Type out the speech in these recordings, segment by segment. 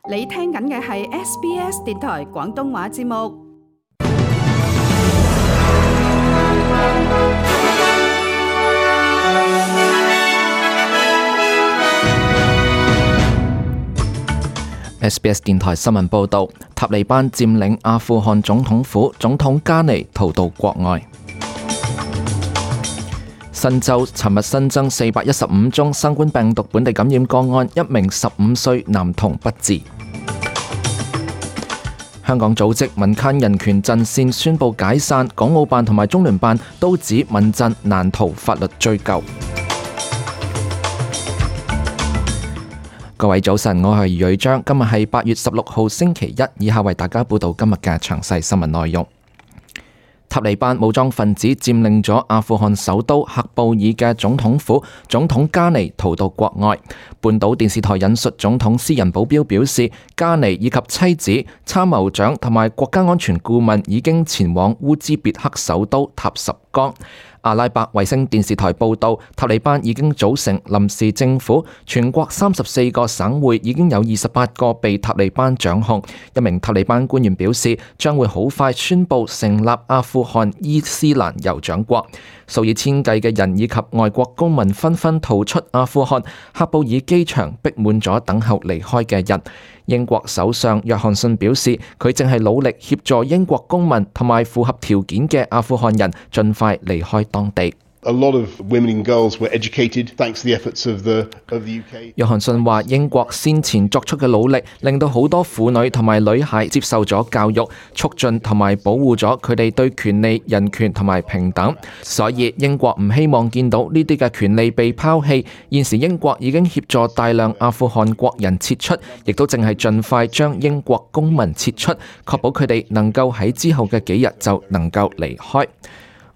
你聽緊嘅係 SBS 電台廣東話節目。SBS 電台新聞報導，塔利班佔領阿富汗總統府，總統加尼逃到國外。新州尋日新增415宗新冠病毒本地感染個案，一名15歲男童不治。香港組織民間人權陣線宣布解散，港澳辦同埋中聯辦都指民陣難逃法律追究。各位早晨，我係余瑞章，今日係8月16號星期一，以下為大家報道今日嘅詳細新聞內容。塔利班武裝分子佔領咗阿富汗首都喀布爾嘅總統府，總統加尼逃到國外。半島電視台引述總統私人保鏢表示，加尼以及妻子、參謀長同埋國家安全顧問已經前往烏茲別克首都塔什干。阿拉伯衛星電視台報道，塔利班已經組成臨時政府，全國34個省會已經有28個被塔利班掌控。一名塔利班官員表示，將會好快宣布成立阿富汗伊斯蘭酋長國。數以千計嘅人以及外國公民紛紛逃出阿富汗，喀布爾機場逼滿咗等候離開嘅人。英國首相約翰遜表示，佢正係努力協助英國公民同埋符合條件嘅阿富汗人盡快離開當地。A lot of women and girls were educated thanks to the efforts of the UK. 約翰遜話，英國先前作出嘅努力，令到好多婦女同埋女孩接受咗教育，促進同埋保護咗佢哋對權利、人權同埋平等。所以英國唔希望見到呢啲嘅權利被拋棄。現時英國已經協助大量阿富汗國人撤出，亦都正係盡快將英國公民撤出，確保佢哋能夠喺之後嘅幾日就能夠離開。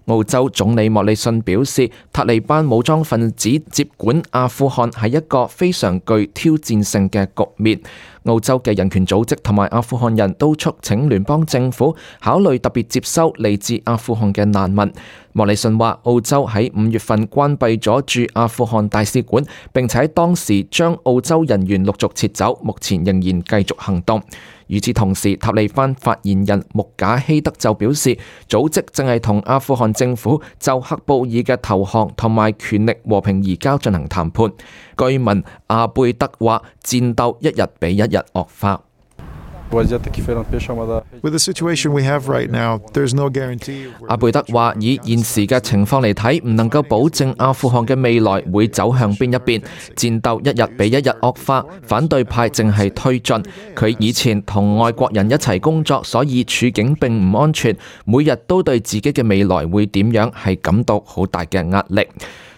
澳洲總理莫里遜表示，塔利班武裝分子接管阿富汗係一個非常具挑戰性嘅局面。澳洲嘅人權組織同埋阿富汗人都促請聯邦政府考慮特別接收嚟自阿富汗嘅難民。莫里遜話，澳洲喺5月份關閉咗駐阿富汗大使館，並且喺當時將澳洲人員陸續撤走，目前仍然繼續行動。與此同時，塔利班發言人穆賈希德就表示，組織正係同阿富汗政府就喀布爾嘅投降同埋權力和平移交進行談判。據聞阿貝德話，戰鬥一日比一日惡化。With the situation we have right now, there's no guarantee. 阿貝德話，以現時嘅情況嚟睇，唔能夠保證阿富汗嘅未來會走向邊一邊。戰鬥一日比一日惡化，反對派正係推進。佢以前同外國人一齊工作，所以處境並唔安全，每日都對自己嘅未來會點樣係感到好大嘅壓力。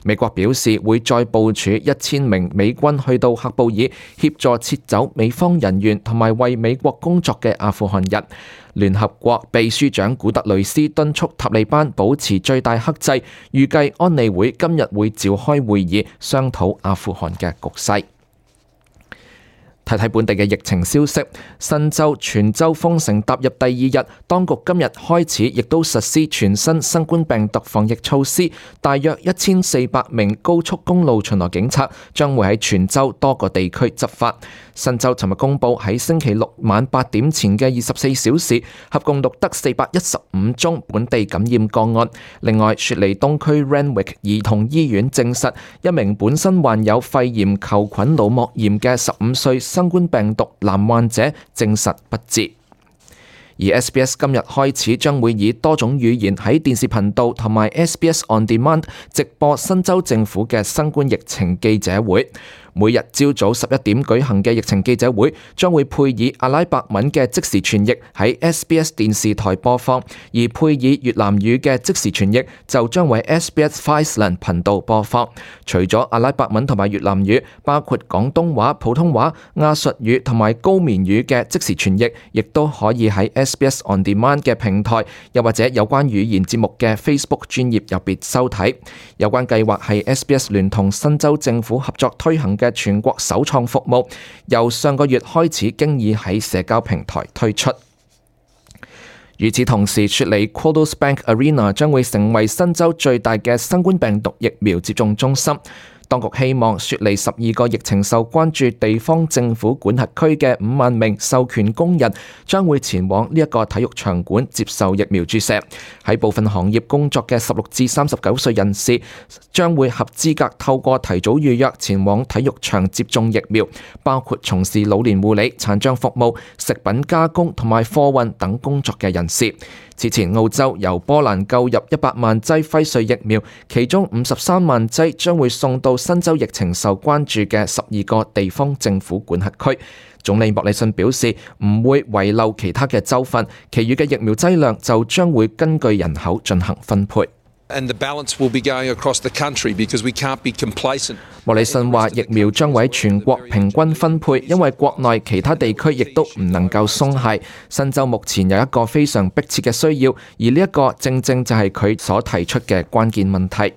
美國表示會再部署1000名美軍去到喀布爾，協助撤走美方人員同埋為美國工作嘅阿富汗人。聯合國秘書長古特雷斯敦促塔利班保持最大克制，預計安理會今日會召開會議，商討阿富汗嘅局勢。睇睇本地嘅疫情消息，新州全州封城踏入第2日，當局今日開始亦都實施全新新冠病毒防疫措施。大約1400名高速公路巡邏警察將會喺全州多個地區執法。新州尋日公佈喺星期六晚8點前嘅24小時，合共錄得415宗本地感染個案。另外，雪梨東區 Randwick 兒童醫院證實，一名本身患有肺炎球菌腦膜炎嘅15歲新冠病毒男患者證實不治。而 SBS 今日開始將會以多種語言喺電視頻道同埋 SBS On Demand 直播新州政府嘅新冠疫情記者會。每日朝早11點舉行嘅疫情記者會將會配以阿拉伯文嘅即時傳譯喺 SBS 電視台播放，而配以越南語嘅即時傳譯就將會喺 SBS Viceland 頻道播放。除咗阿拉伯文同埋越南語，包括廣東話、普通話、亞述語同埋高棉語嘅即時傳譯，亦都可以喺 SBS On Demand 嘅平台，又或者有關語言節目嘅 Facebook 專頁入邊收睇。有關計劃係 SBS 聯同新州政府合作推行嘅全國首創服務，由上個月開始經已喺社交平台推出。與此同時，雪梨 Qudos Bank Arena 將會成為新州最大嘅新冠病毒疫苗接種中心。當局希望雪梨12個疫情受關注地方政府管轄區嘅5萬名授權工人將會前往呢一個體育場館接受疫苗注射。喺部分行業工作嘅16至39歲人士將會合資格透過提早預約前往體育場接種疫苗，包括從事老年護理、殘障服務、食品加工同埋貨運等工作嘅人士。此前澳洲由波蘭購入100萬劑輝瑞疫苗，其中53萬劑將會送到新州疫情受關注嘅12個地方政府管轄區。總理莫里遜表示唔會遺漏其他嘅州份，其餘嘅疫苗劑量就將會根據人口進行分配。莫里遜話疫苗將會喺全國平均分配，因為國內其他地區亦都唔能夠鬆懈。新州目前有一個非常迫切嘅需要，而呢一個正正就係佢所提出嘅關鍵問題。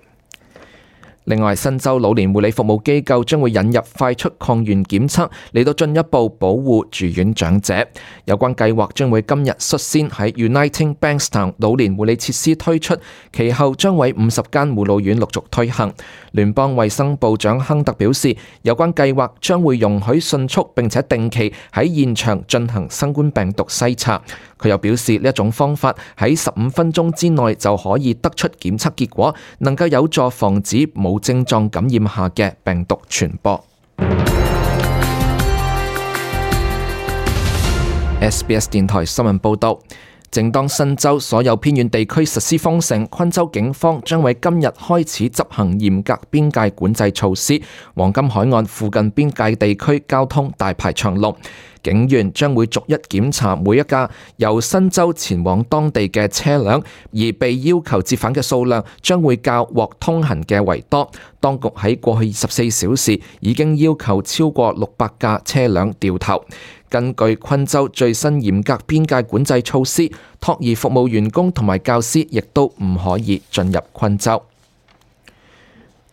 另外，新州老年護理服務機構將會引入快速抗原檢測嚟到進一步保護住院長者。有關計劃將會今日率先喺 Uniting Bankstown 老年護理設施推出，其後將為50間護老院陸續推行。聯邦衛生部長亨特表示，有關計劃將會容許迅速並且定期喺現場進行新冠病毒篩查。佢又表示，呢一種方法喺15分鐘之內就可以得出檢測結果，能夠有助防止冇症狀感染下嘅病毒傳播。SBS 電台新聞報導。正當新州所有偏遠地區實施封城，昆州警方將喺今日開始執行嚴格邊界管制措施，黃金海岸附近邊界地區交通大排長龍。警員將會逐一檢查每一架由新州前往當地嘅車輛，而被要求折返嘅數量將會較獲通行嘅為多。當局喺過去24小時已經要求超過600架車輛掉頭。根據昆州最新嚴格邊界管制措施，托兒服務員工同埋教師亦都唔可以進入昆州。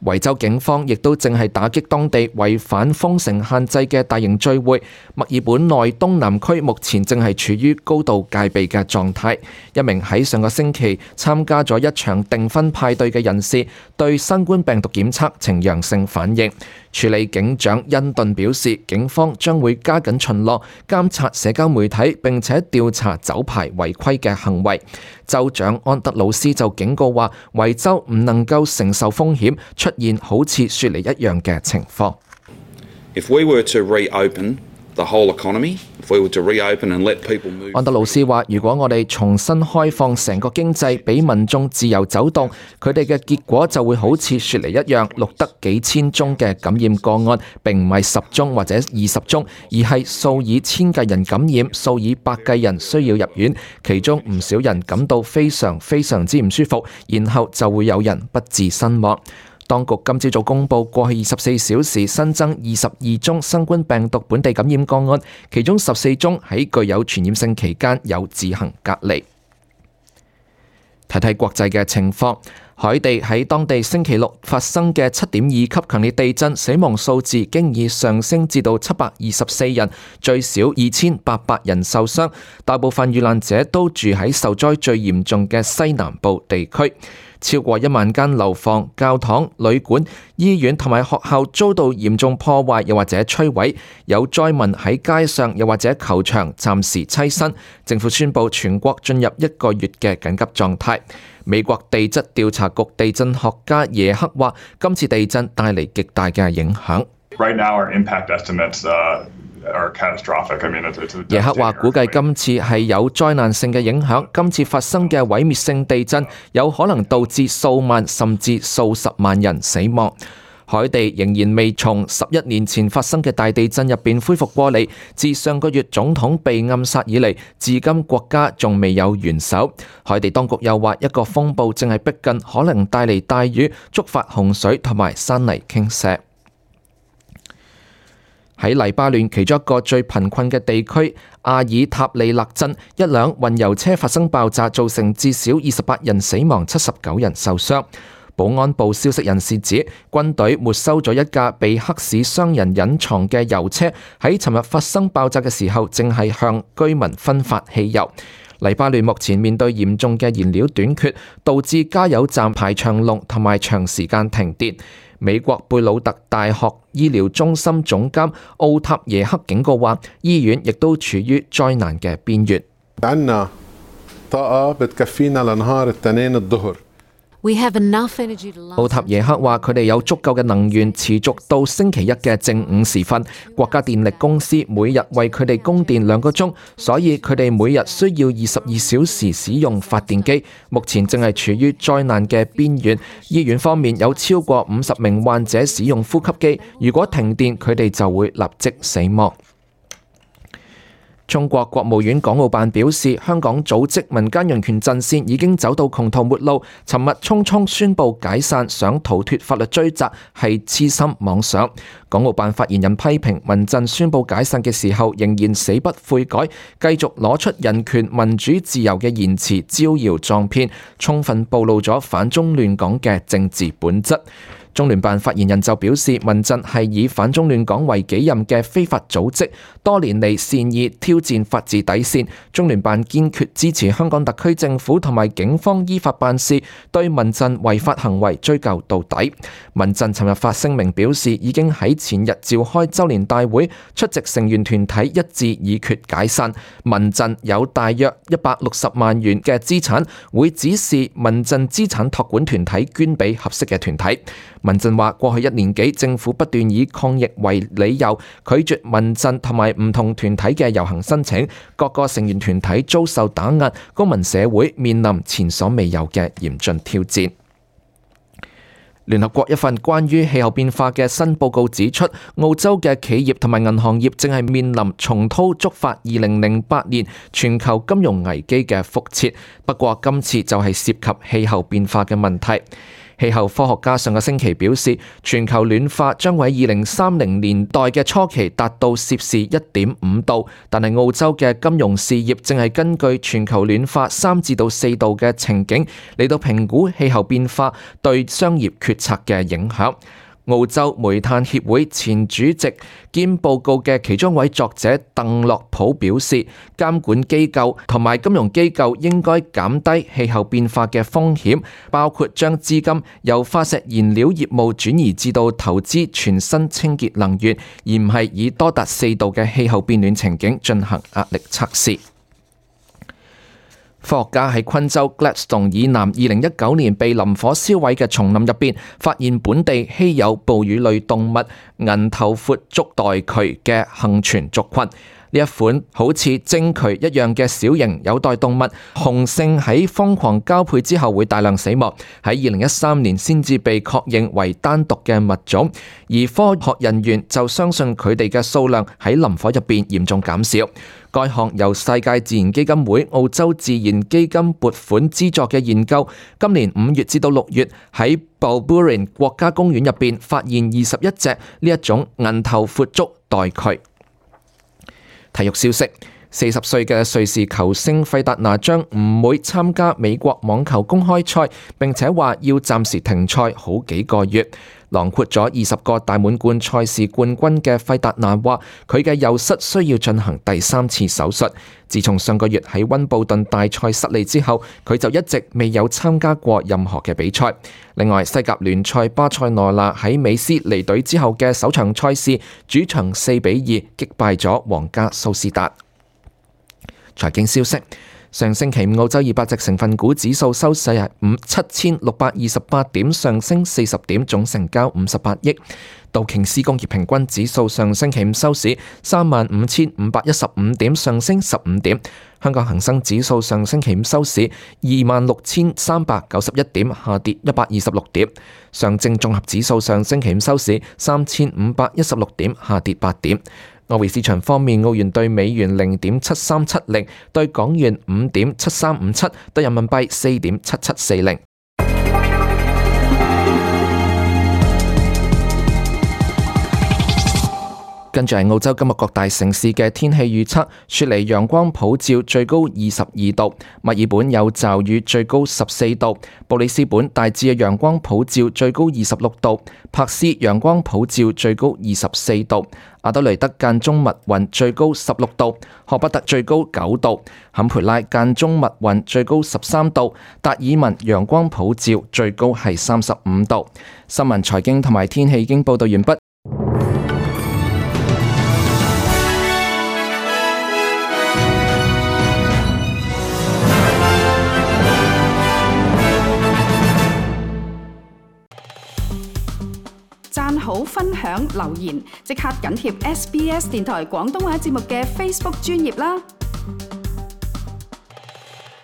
維州警方亦都正係打擊當地違反封城限制嘅大型聚會。墨爾本內東南區目前正係處於高度戒備嘅狀態。一名喺上個星期參加咗一場訂婚派對嘅人士對新冠病毒檢測呈陽性反應。處理警長恩頓表示，警方將會加緊巡邏、監察社交媒體，並且調查酒牌違規嘅行為。州長安德魯斯就警告話，維州唔能夠承受風險出現好似雪梨一樣嘅情況。安德魯斯話，如果我哋重新開放成個經濟，俾民眾自由走動，佢哋嘅結果就會好似雪梨一樣，錄得幾千宗嘅感染個案，並唔係10宗或者20宗，而係數以千計人感染，數以百計人需要入院，其中唔少人感到非常之唔舒服，然後就會有人不治身亡。當局今朝早公布過去24小時新增22宗新冠病毒本地感染個案，其中14宗喺具有傳染性期間有自行隔離。睇睇國際嘅情況，海地喺當地星期六發生嘅7.2級強烈地震，死亡數字經已上升至到724人，最少2800人受傷，大部分遇難者都住喺受災最嚴重嘅西南部地區。超過1萬間樓房、教堂、旅館、醫院同埋學校遭到嚴重破壞，又或者摧毀。有災民喺街上又或者球場暫時棲身。政府宣布全國進入1個月嘅緊急狀態。美國地質調查局地震學家耶克話，今次地震帶嚟極大嘅影響。耶克話估計今次係有災難性嘅影響，今次發生嘅毀滅性地震有可能導致數萬甚至數十萬人死亡。海地仍然未從11年前發生嘅大地震入邊恢復過嚟，自上個月總統被暗殺以嚟，至今國家仲未有元首。海地當局又話一個風暴正係逼近，可能帶嚟大雨，觸發洪水同埋山泥傾瀉。喺黎巴嫩其中一個最貧困嘅地區阿爾塔利勒鎮，一輛運油車發生爆炸，造成至少28人死亡、79人受傷。保安部消息人士指，軍隊沒收咗一架被黑市商人隱藏嘅油車，喺尋日發生爆炸嘅時候，正係向居民分發汽油。黎巴嫩目前面對嚴重嘅燃料短缺，導致加油站排長龍同埋長時間停電。美國貝魯特大學醫療中心總監奧塔耶克警告話，醫院亦都處於災難嘅邊緣。奧塔耶克話：佢哋有足夠嘅能源持續到星期一嘅正午時分。國家電力公司每日為佢哋供電2個鐘，所以佢哋每日需要22小時使用發電機。目前正係處於災難嘅邊緣。醫院方面有超過50名患者使用呼吸機，如果停電，佢哋就會立即死亡。中國國務院港澳辦表示，香港組織民間人權陣線已經走到窮途末路，尋日匆匆宣布解散，想逃脫法律追責係痴心妄想。港澳辦發言人批評民陣宣布解散嘅時候仍然死不悔改，繼續攞出人權、民主、自由嘅言辭招搖撞騙，充分暴露咗反中亂港嘅政治本質。中聯辦發言人就表示，民陣係以反中亂港為己任嘅非法組織，多年嚟善意挑戰法治底線。中聯辦堅決支持香港特區政府同埋警方依法辦事，對民陣違法行為追究到底。民陣尋日發聲明表示，已經喺前日召開周年大會，出席成員團體一致議決解散。民陣有大約160萬元嘅資產，會指示民陣資產託管團體捐俾合適嘅團體。民陣話，過去1年幾，政府不斷以抗疫為理由，拒絕民陣同埋唔同團體嘅遊行申請，各個成員團體遭受打壓，公民社會面臨前所未有嘅嚴峻挑戰。聯合國一份關於氣候變化嘅新報告指出，澳洲嘅企業同埋銀行業正係面臨重蹈觸發2008年全球金融危機嘅覆轍，不過今次就係涉及氣候變化嘅問題。氣候科學家上個星期表示，全球暖化將會喺2030年代嘅初期達到攝氏1.5度，但係澳洲嘅金融事業正係根據全球暖化3至到4度嘅情景嚟到評估氣候變化對商業決策嘅影響。澳洲煤炭協會前主席兼報告嘅其中一位作者鄧洛普表示，監管機構同埋金融機構應該減低氣候變化嘅風險，包括將資金由化石燃料業務轉移至到投資全新清潔能源，而唔係以多達4度嘅氣候變暖情景進行壓力測試。科學家喺昆州 Gladstone 以南2019年被林火燒毀嘅叢林入邊，發現本地稀有哺乳類動物銀頭闊足袋渠嘅幸存族群。呢一款好似鯨渠一樣嘅小型有袋動物，雄性喺瘋狂交配之後會大量死亡，喺2013年先至被確認為單獨嘅物種，而科學人員就相信佢哋嘅數量喺林火入邊嚴重減少。該項由世界自然基金會澳洲自然基金撥款資助嘅研究，今年5月至到6月喺 Balboorin 國家公園入邊發現21隻呢一種銀頭闊足袋渠。體育消息：40歲嘅瑞士球星費達拿將唔會參加美國網球公開賽，並且話要暫時停賽好幾個月。囊括咗20個大滿貫賽事冠軍嘅費達拿話，佢嘅右膝需要進行第3次手術。自從上個月喺溫布頓大賽失利之後，佢就一直未有參加過任何嘅比賽。另外，西甲聯賽巴塞羅那喺美斯離隊之後嘅首場賽事，主場4-2擊敗咗皇家蘇斯達。財經消息。上星期五澳洲200隻成分股指數收市係7628點，上升40點，總成交58億。道瓊斯工業平均指數上星期五收市35515點，上升15點。香港恒生指數上星期五收市26391點，下跌126點。上證綜合指數上星期五收市3516點，下跌8點。外匯市場方面，澳元對美元0.7370，對港元5.7357，對人民幣4.7740。跟住係澳洲今日各大城市嘅天氣預測：雪梨陽光普照，最高22度；墨爾本有驟雨，最高14度；布里斯本大致嘅陽光普照，最高26度；珀斯陽光普照，最高24度；阿德雷德間中密雲，最高16度；荷伯特最高9度；坎培拉間中密雲，最高13度；達爾文陽光普照，最高係35度。新聞、財經同埋天氣已經報道完畢。讚好、分享、留言，即刻緊貼SBS 電台廣東話節目嘅 Facebook 專頁啦！